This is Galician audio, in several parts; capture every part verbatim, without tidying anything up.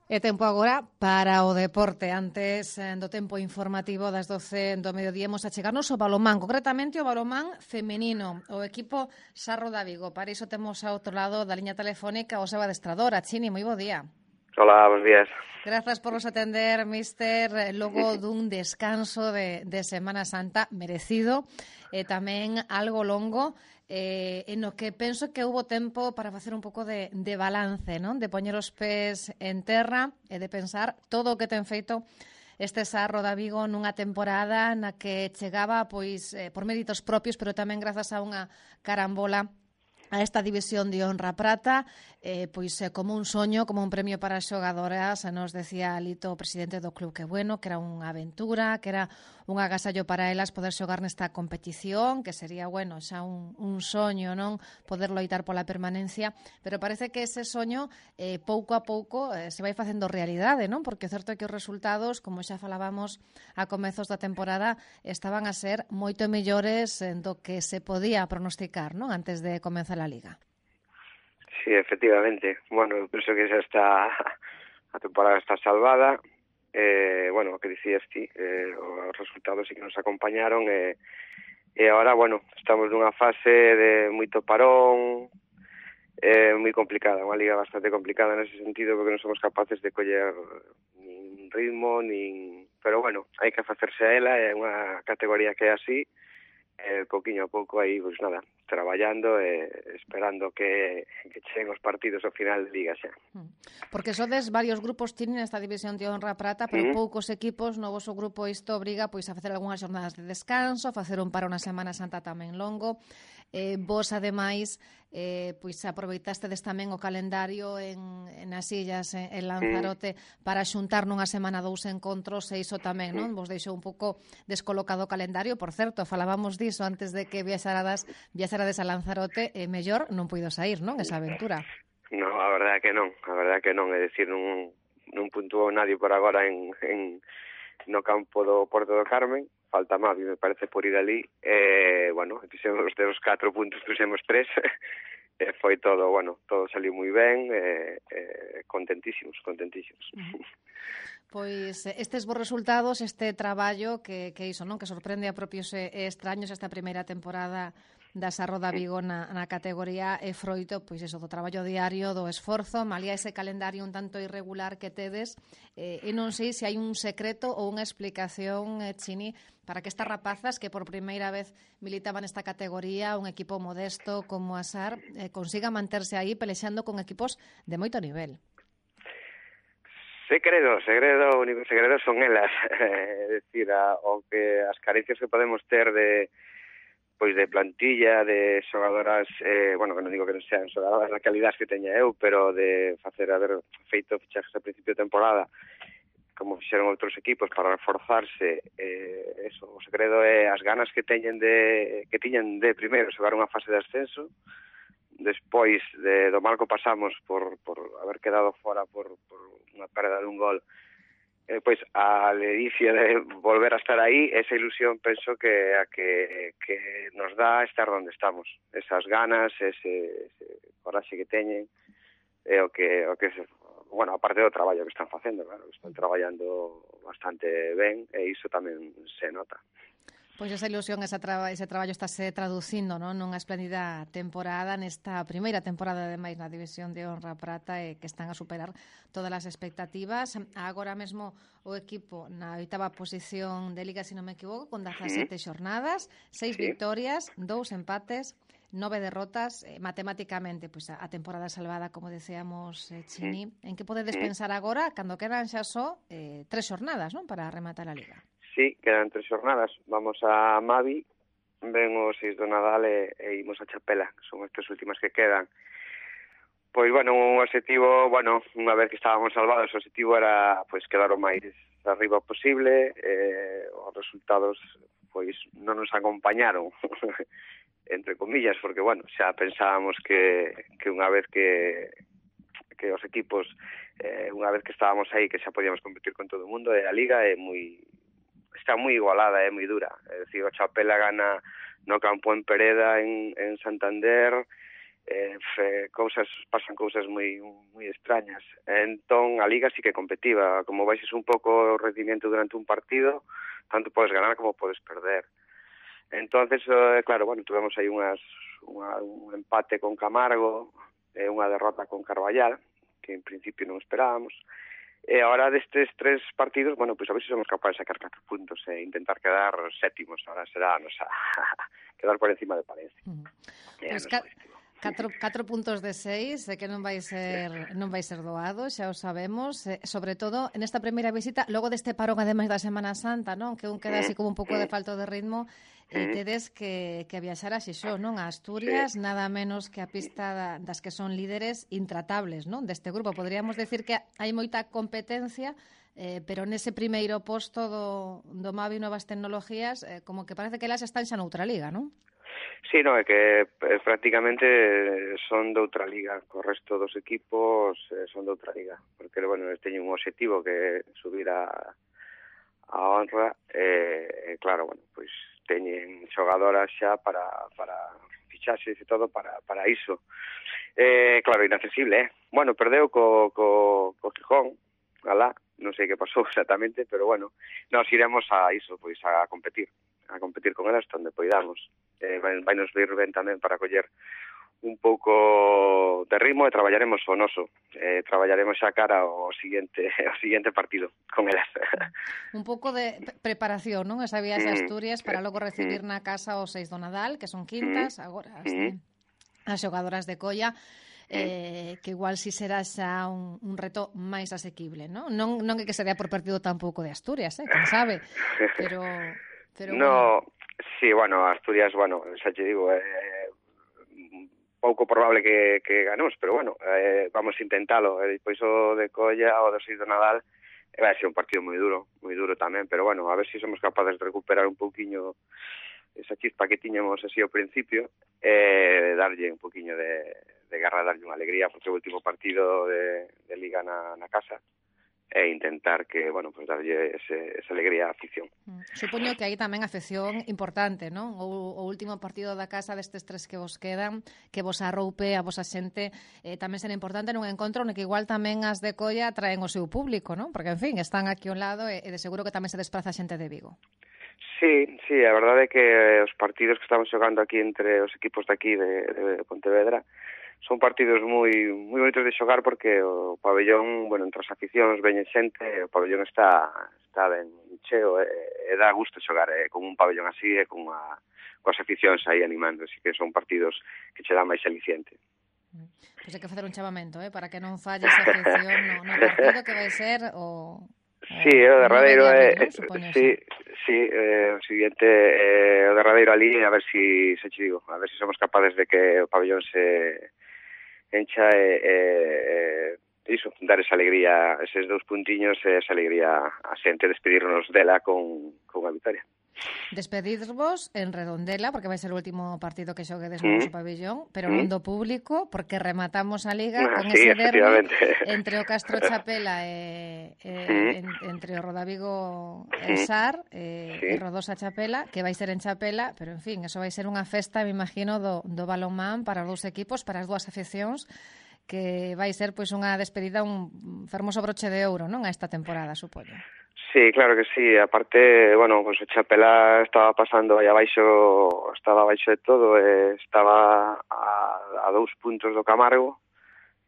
E tempo agora para o deporte. Antes do tempo informativo das doce do mediodía imos a chegarnos ao balomán, concretamente o balomán femenino, o equipo Sarro da Vigo. Para iso temos ao outro lado da liña telefónica o seu adestrador, a Chini. Moi bo día. Hola, bons días. Grazas por nos atender, mister, logo dun descanso de, de Semana Santa merecido e tamén algo longo, eh, en o que penso que houbo tempo para facer un pouco de, de balance, non? De poñer os pés en terra e de pensar todo o que ten feito este Sarro da Vigo nunha temporada na que chegaba pois eh, por méritos propios, pero tamén grazas a unha carambola a esta división de honra prata, eh, pois eh, como un soño, como un premio para as xogadoras. Nos decía Lito, o presidente do club, que bueno, que era unha aventura, que era un agasallo para elas poder xogar nesta competición, que sería, bueno, xa un, un soño, non? Poder loitar pola permanencia, pero parece que ese soño eh, pouco a pouco eh, se vai facendo realidade, non? Porque é certo que os resultados, como xa falábamos a comezos da temporada, estaban a ser moito mellores do que se podía pronosticar, non? Antes de comenzar la Liga. Sí, efectivamente. Bueno, eu penso que xa está a temporada está salvada. Eh, bueno, o que dicías ti, eh, os resultados sí que nos acompañaron e, e agora, bueno, estamos nunha fase de moito parón, eh, moi complicada, unha liga bastante complicada nese sentido, porque non somos capaces de coller nin ritmo, nin... Pero bueno, hai que facerse a ela, é unha categoría que é así, eh, pouquiño a pouco aí, pois nada, traballando e eh, esperando que, que cheguen os partidos ao final de Liga xa. Porque sodes varios grupos tienen esta división de honra prata, pero uh -huh. poucos equipos, no voso grupo isto obriga pois a facer algunhas jornadas de descanso, a facer un para unha Semana Santa tamén longo. Eh, vos, ademais, eh, pois aproveitastes tamén o calendario en, en as illas, en, en Lanzarote, mm. para xuntar nunha semana dous encontros, e iso tamén, non? Vos deixou un pouco descolocado o calendario. Por certo, falábamos diso antes de que viaxarades, viaxarades a Lanzarote, e mellor non puido sair, non? Esa aventura. No, a verdade que non, a verdade que non, é dicir, non, non puntuou nadie por agora en, en no campo do Porto do Carmen. Falta Mavi, me parece, por ir ali. Eh, bueno, fixemos de os catro puntos, fixemos tres. E foi todo, bueno, todo saliu moi ben. Eh, eh, contentísimos, contentísimos. Uh-huh. Pois estes bons resultados, este traballo que, que iso, non? Que sorprende a propios e extraños esta primeira temporada da Sarro da Vigo na, na categoría é froito, pois eso, do traballo diario, do esforzo, malía ese calendario un tanto irregular que tedes, eh, e non sei se hai un secreto ou unha explicación, eh, Chini, para que estas rapazas que por primeira vez militaban nesta categoría, un equipo modesto como a Sar, eh, consiga manterse aí pelexando con equipos de moito nivel. Segredo, segredo, o único segredo son elas, é eh, dicir, a, o que as carencias que podemos ter de pois de plantilla, de xogadoras, eh, bueno, que non digo que non sean xogadoras na calidad que teña eu, pero de facer, haber feito fichajes a principio de temporada, como fixeron outros equipos para reforzarse, eh, eso, o segredo é as ganas que teñen de, que tiñan de primeiro xogar unha fase de ascenso, despois de, do mal que pasamos por, por haber quedado fora por, por unha perda de un gol, Eh, pois a ledicia de volver a estar aí, esa ilusión penso que a que, que nos dá estar onde estamos, esas ganas, ese, ese coraxe que teñen, é o que, o que se, bueno, aparte do traballo que están facendo, claro, están traballando bastante ben e iso tamén se nota. Pois esa ilusión, esa traba, ese traballo estáse traducindo, non, nunha espléndida temporada, nesta primeira temporada ademais na división de honra prata, e que están a superar todas as expectativas. Agora mesmo o equipo na oitava posición de Liga, se non me equivoco, con dezasete xornadas, seis sí. victorias, dous empates, nove derrotas, eh, matemáticamente, pois a, a temporada salvada, como deseamos, eh, Chini. En que podedes pensar agora, cando quedan xa só eh, tres xornadas, non, para rematar a Liga? Sí, quedan tres xornadas. Vamos a Mavi, ven os seis do Nadal e, e imos a Chapela, que son as tres últimas que quedan. Pois, bueno, un objetivo, bueno, unha vez que estábamos salvados, o objetivo era, pois, quedar o máis arriba posible. Eh, os resultados, pois, non nos acompañaron, entre comillas, porque, bueno, xa pensábamos que, que unha vez que, que os equipos, eh, unha vez que estábamos aí, que xa podíamos competir con todo o mundo, e a Liga é moi... está moi igualada, é moi dura. É dicir, o Chapela gana no campo en Pereda, en, en Santander, eh, fe, cousas, pasan cousas moi moi extrañas. Entón, a Liga sí que competiva. Como baixes un pouco o rendimiento durante un partido, tanto podes ganar como podes perder. Entonces, eh, claro, bueno, tuvemos aí unhas, unha, un empate con Camargo, e unha derrota con Carballal, que en principio non esperábamos. E agora destes tres partidos, bueno, pois pues a ver se somos capaces de sacar catro puntos e intentar quedar sétimos. Ahora será, nos a quedar por encima de Palencia. Uh -huh. Pues ca catro, catro puntos de seis, de que non vai ser non vai ser doado, xa o sabemos, eh, sobre todo en esta primeira visita, logo deste parón ademais da Semana Santa, non? Que un queda así como un pouco de falta de ritmo, e tedes que, que viaxar a Xixó, non? A Asturias, sí. Nada menos que a pista da, das que son líderes intratables, non? Deste grupo. Podríamos decir que hai moita competencia, eh, pero nese primeiro posto do, do Mavi Novas Tecnologías, eh, como que parece que elas están xa noutra liga, non? Sí, no, é que eh, prácticamente son de outra liga. Co resto dos equipos eh, son de outra liga. Porque, bueno, teñen un objetivo que é subir a, a honra. E, eh, claro, bueno, pois teñen xogadoras xa para, para fichaxes e todo para, para iso. Eh, claro, inaccesible, eh? Bueno, perdeu co, co, co Gijón, alá, non sei que pasou exactamente, pero bueno, nos iremos a iso, pois a competir, a competir con elas onde poidamos. Eh, vai, vai nos vir ben tamén para coller un pouco de ritmo e traballaremos o noso. Eh, traballaremos xa cara ao seguinte, ao seguinte partido con elas. Un pouco de preparación, non? Esa viaxe a Asturias para logo recibir na casa os seis do Nadal, que son quintas, agora as, as xogadoras de Colla, eh, que igual si será xa un, un reto máis asequible, non? Non, non é que sería por partido tampouco de Asturias, eh? Quen sabe? Pero, pero no, bueno. Sí, bueno, Asturias, bueno, xa te digo, eh, pouco probable que, que ganemos, pero bueno, eh, vamos a intentalo. E depois o de Colla, o do seis do Nadal, eh, vai ser un partido moi duro, moi duro tamén, pero bueno, a ver se si somos capaces de recuperar un pouquiño esa chispa que tiñamos así ao principio, e eh, darlle un pouquiño de, de garra, darlle unha alegría, porque o último partido de, de Liga na, na casa, e intentar que, bueno, pues darlle ese, esa alegría á afición. Supoño que aí tamén afección importante, non? O, o último partido da casa destes tres que vos quedan, que vos arroupe a vosa xente, eh, tamén será importante nun encontro no que igual tamén as de Colla traen o seu público, non? Porque, en fin, están aquí ao lado e, e de seguro que tamén se desplaza xente de Vigo. Sí, sí, a verdade é que os partidos que estamos xogando aquí entre os equipos de aquí de, de Pontevedra son partidos moi moi bonitos de xogar porque o pabellón, bueno, entre as aficións veñen xente, o pabellón está está ben cheo e, e dá gusto xogar eh, con un pabellón así e con a, coas aficións aí animando, así que son partidos que che dá máis aliciente. Pois hai que facer un chamamento, eh, para que non falle esa afición no, no partido que vai ser o... Sí, o derradeiro é, eh, sí, sí, eh, o seguinte eh, o derradeiro ali, a ver si se che digo, a ver si somos capaces de que o pabellón se encha e, e, e iso, dar esa alegría, eses dous puntiños e esa alegría a xente, despedirnos dela con, con a vitoria. Despedirvos en Redondela, porque vai ser o último partido que xoguedes no noso pabellón, pero non do público, porque rematamos a Liga ah, con sí, ese derbi entre o Castro Chapela e, e en, entre o Rodavigo e Sar e, sí. e Rodosa Chapela, que vai ser en Chapela, pero en fin, eso vai ser unha festa, me imagino, do, do balonmán para os dous equipos, para as dúas afeccións, que vai ser pois unha despedida, un fermoso broche de ouro, non, a esta temporada, supoño. Sí, claro que sí. Aparte, bueno, pues o Chapela estaba pasando aí abaixo, estaba abaixo de todo, eh, estaba a, a dous puntos do Camargo,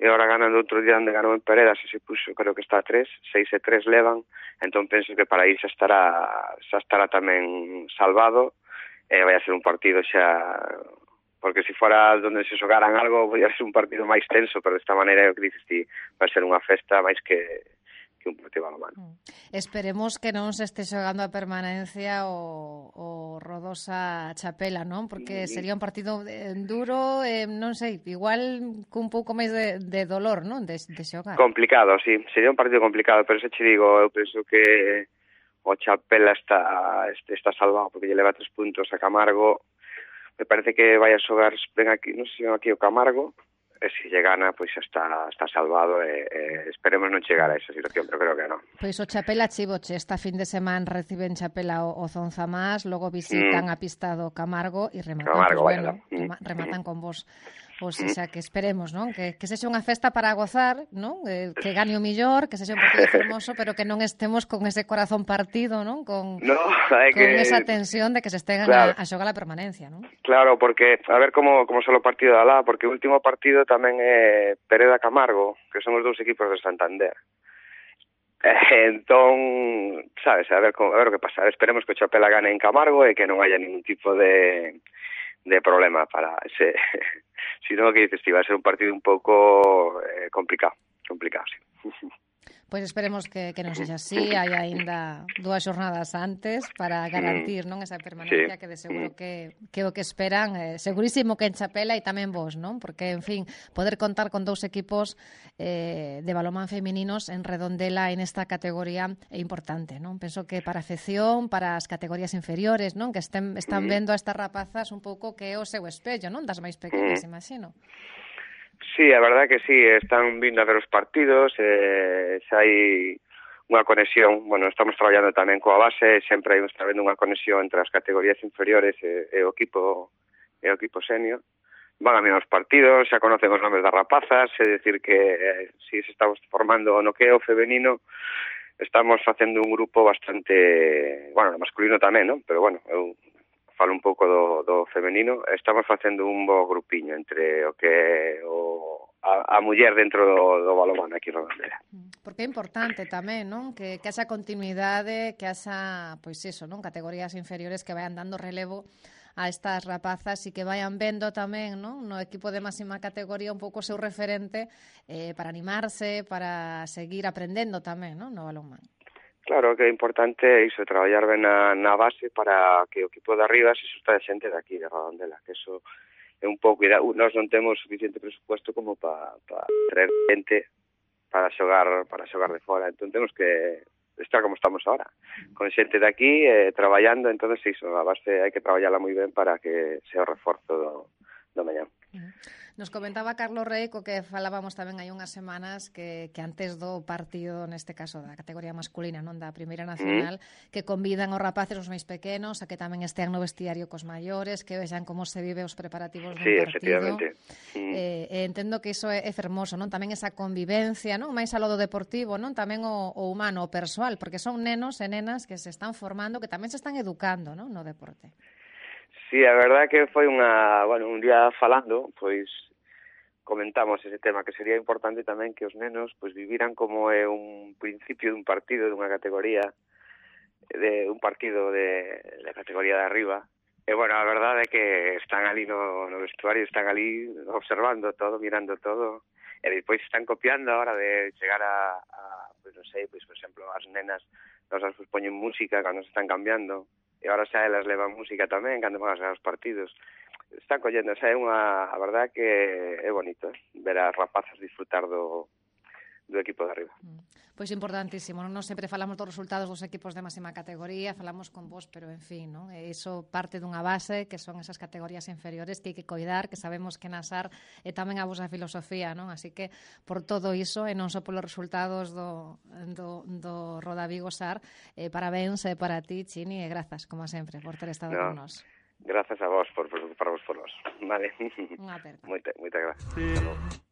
e agora ganando outro día onde ganou en Peredas, e se puxo, creo que está a tres, seis e tres levan, entón penso que para ir xa estará, xa estará tamén salvado, e vai a ser un partido xa, porque se fora onde se xogaran algo, podía ser un partido máis tenso, pero desta maneira, o que dices ti, vai ser unha festa máis que que un partido balonmán. Esperemos que non se este xogando a permanencia o, o Rodosa Chapela, non? Porque sería un partido duro, eh, non sei, igual cun pouco máis de, de dolor, non? De, de xogar. Complicado, sí, sería un partido complicado, pero se che digo, eu penso que o Chapela está está salvado, porque lle leva tres puntos a Camargo. Me parece que vai a xogar, ven aquí, non sei se ven aquí o Camargo, e se lle gana, pois xa está, está salvado e, e esperemos non chegar a esa situación, pero creo que non. Pois o Chapela Chivoche, esta fin de semana reciben Chapela o, o Zonzamás, logo visitan mm. a pista do Camargo e rematan, Camargo, pues, bueno, mm. rematan con vos Ou seja, que esperemos, non? Que, que sexa unha festa para gozar, non? Eh, que gane o millor, que sexa un partido fermoso, pero que non estemos con ese corazón partido, non? Con, no, hai con que... esa tensión de que se estén claro. a, a xogar a permanencia, non? Claro, porque a ver como, como só o partido de alá, porque o último partido tamén é Pereda Camargo, que son os dous equipos de Santander. Eh, entón, sabes, a ver, a ver o que pasa. Esperemos que o Chapela gane en Camargo e que non haya ningún tipo de... de problema para ese si no, que dices, va a ser un partido un pouco eh, complicado complicado, sí. Pois esperemos que, que non sexa así, hai aínda dúas xornadas antes para garantir non esa permanencia, sí, que de seguro que, que o que esperan, eh, segurísimo que en Chapela e tamén vos, non? Porque, en fin, poder contar con dous equipos eh, de balonmán femininos en Redondela en esta categoría é importante, non? Penso que para a afección, para as categorías inferiores, non? Que estén, están vendo a estas rapazas un pouco que é o seu espello, non? Das máis pequenas, imagino. Sí, a verdade que sí, están vindo a ver os partidos, eh, xa hai unha conexión, bueno, estamos traballando tamén coa base, sempre hai está vendo unha conexión entre as categorías inferiores e, e o equipo e o equipo senior. Van a mirar os partidos, xa conocen os nomes das rapazas, é dicir que eh, si se estamos formando no que é o femenino, estamos facendo un grupo bastante, bueno, masculino tamén, non? Pero bueno, eu falo un pouco do, do femenino, estamos facendo un bo grupiño entre o que o, a, a muller dentro do, do balonmán aquí en Redondela. Porque é importante tamén, non? Que, que haxa continuidade, que haxa, pois iso, non? Categorías inferiores que vayan dando relevo a estas rapazas e que vayan vendo tamén, non? No equipo de máxima categoría un pouco o seu referente eh, para animarse, para seguir aprendendo tamén, non? No balonmán. Claro, que é importante iso, traballar ben na, na base para que o equipo de arriba se susta de xente de aquí, de Redondela, que eso é un pouco... Nós non temos suficiente presupuesto como para pa traer xente para xogar para xogar de fora, entón temos que estar como estamos ahora, con xente de aquí, eh, traballando, entón iso, a base hai que traballala moi ben para que sea o reforzo do, do mañán. Nos comentaba Carlos Rey, co que falábamos tamén hai unhas semanas, que, que antes do partido, neste caso da categoría masculina, non da Primeira Nacional, mm. que convidan os rapaces os máis pequenos a que tamén estean no vestiario cos maiores, que vexan como se vive os preparativos dun sí, partido. Efectivamente. Mm. Eh, eh, entendo que iso é, é fermoso, non? Tamén esa convivencia, non? Máis alo do deportivo, non? Tamén o, o humano, o persoal, porque son nenos e nenas que se están formando, que tamén se están educando, non? No deporte. Sí, a verdade que foi unha, bueno, un día falando, pois comentamos ese tema, que sería importante tamén que os nenos pois viviran como é un principio dun partido, dunha categoría, de un partido de, de categoría de arriba. E, bueno, a verdade é que están ali no, no vestuario, están ali observando todo, mirando todo, e depois están copiando a hora de chegar a, a pois non sei, pois, por exemplo, as nenas, nos as poñen música cando se están cambiando, e agora xa elas levan música tamén cando van a ser os partidos. Están collendo, xa é unha, a verdade que é bonito, eh? Ver as rapazas disfrutar do, do equipo de arriba. Pois importantísimo, non sempre falamos dos resultados dos equipos de máxima categoría, falamos con vos, pero en fin, non? E iso parte dunha base que son esas categorías inferiores que hai que coidar, que sabemos que nasar é tamén a vosa filosofía, non? Así que por todo iso, e non só polos resultados do, do, do Roda Vigo Sar, eh, parabéns eh, para ti, Chini, e grazas, como sempre, por ter estado no. con nós. Grazas a vos por preocuparvos por nós. Vale. Unha aperta. Moita, moita gracias.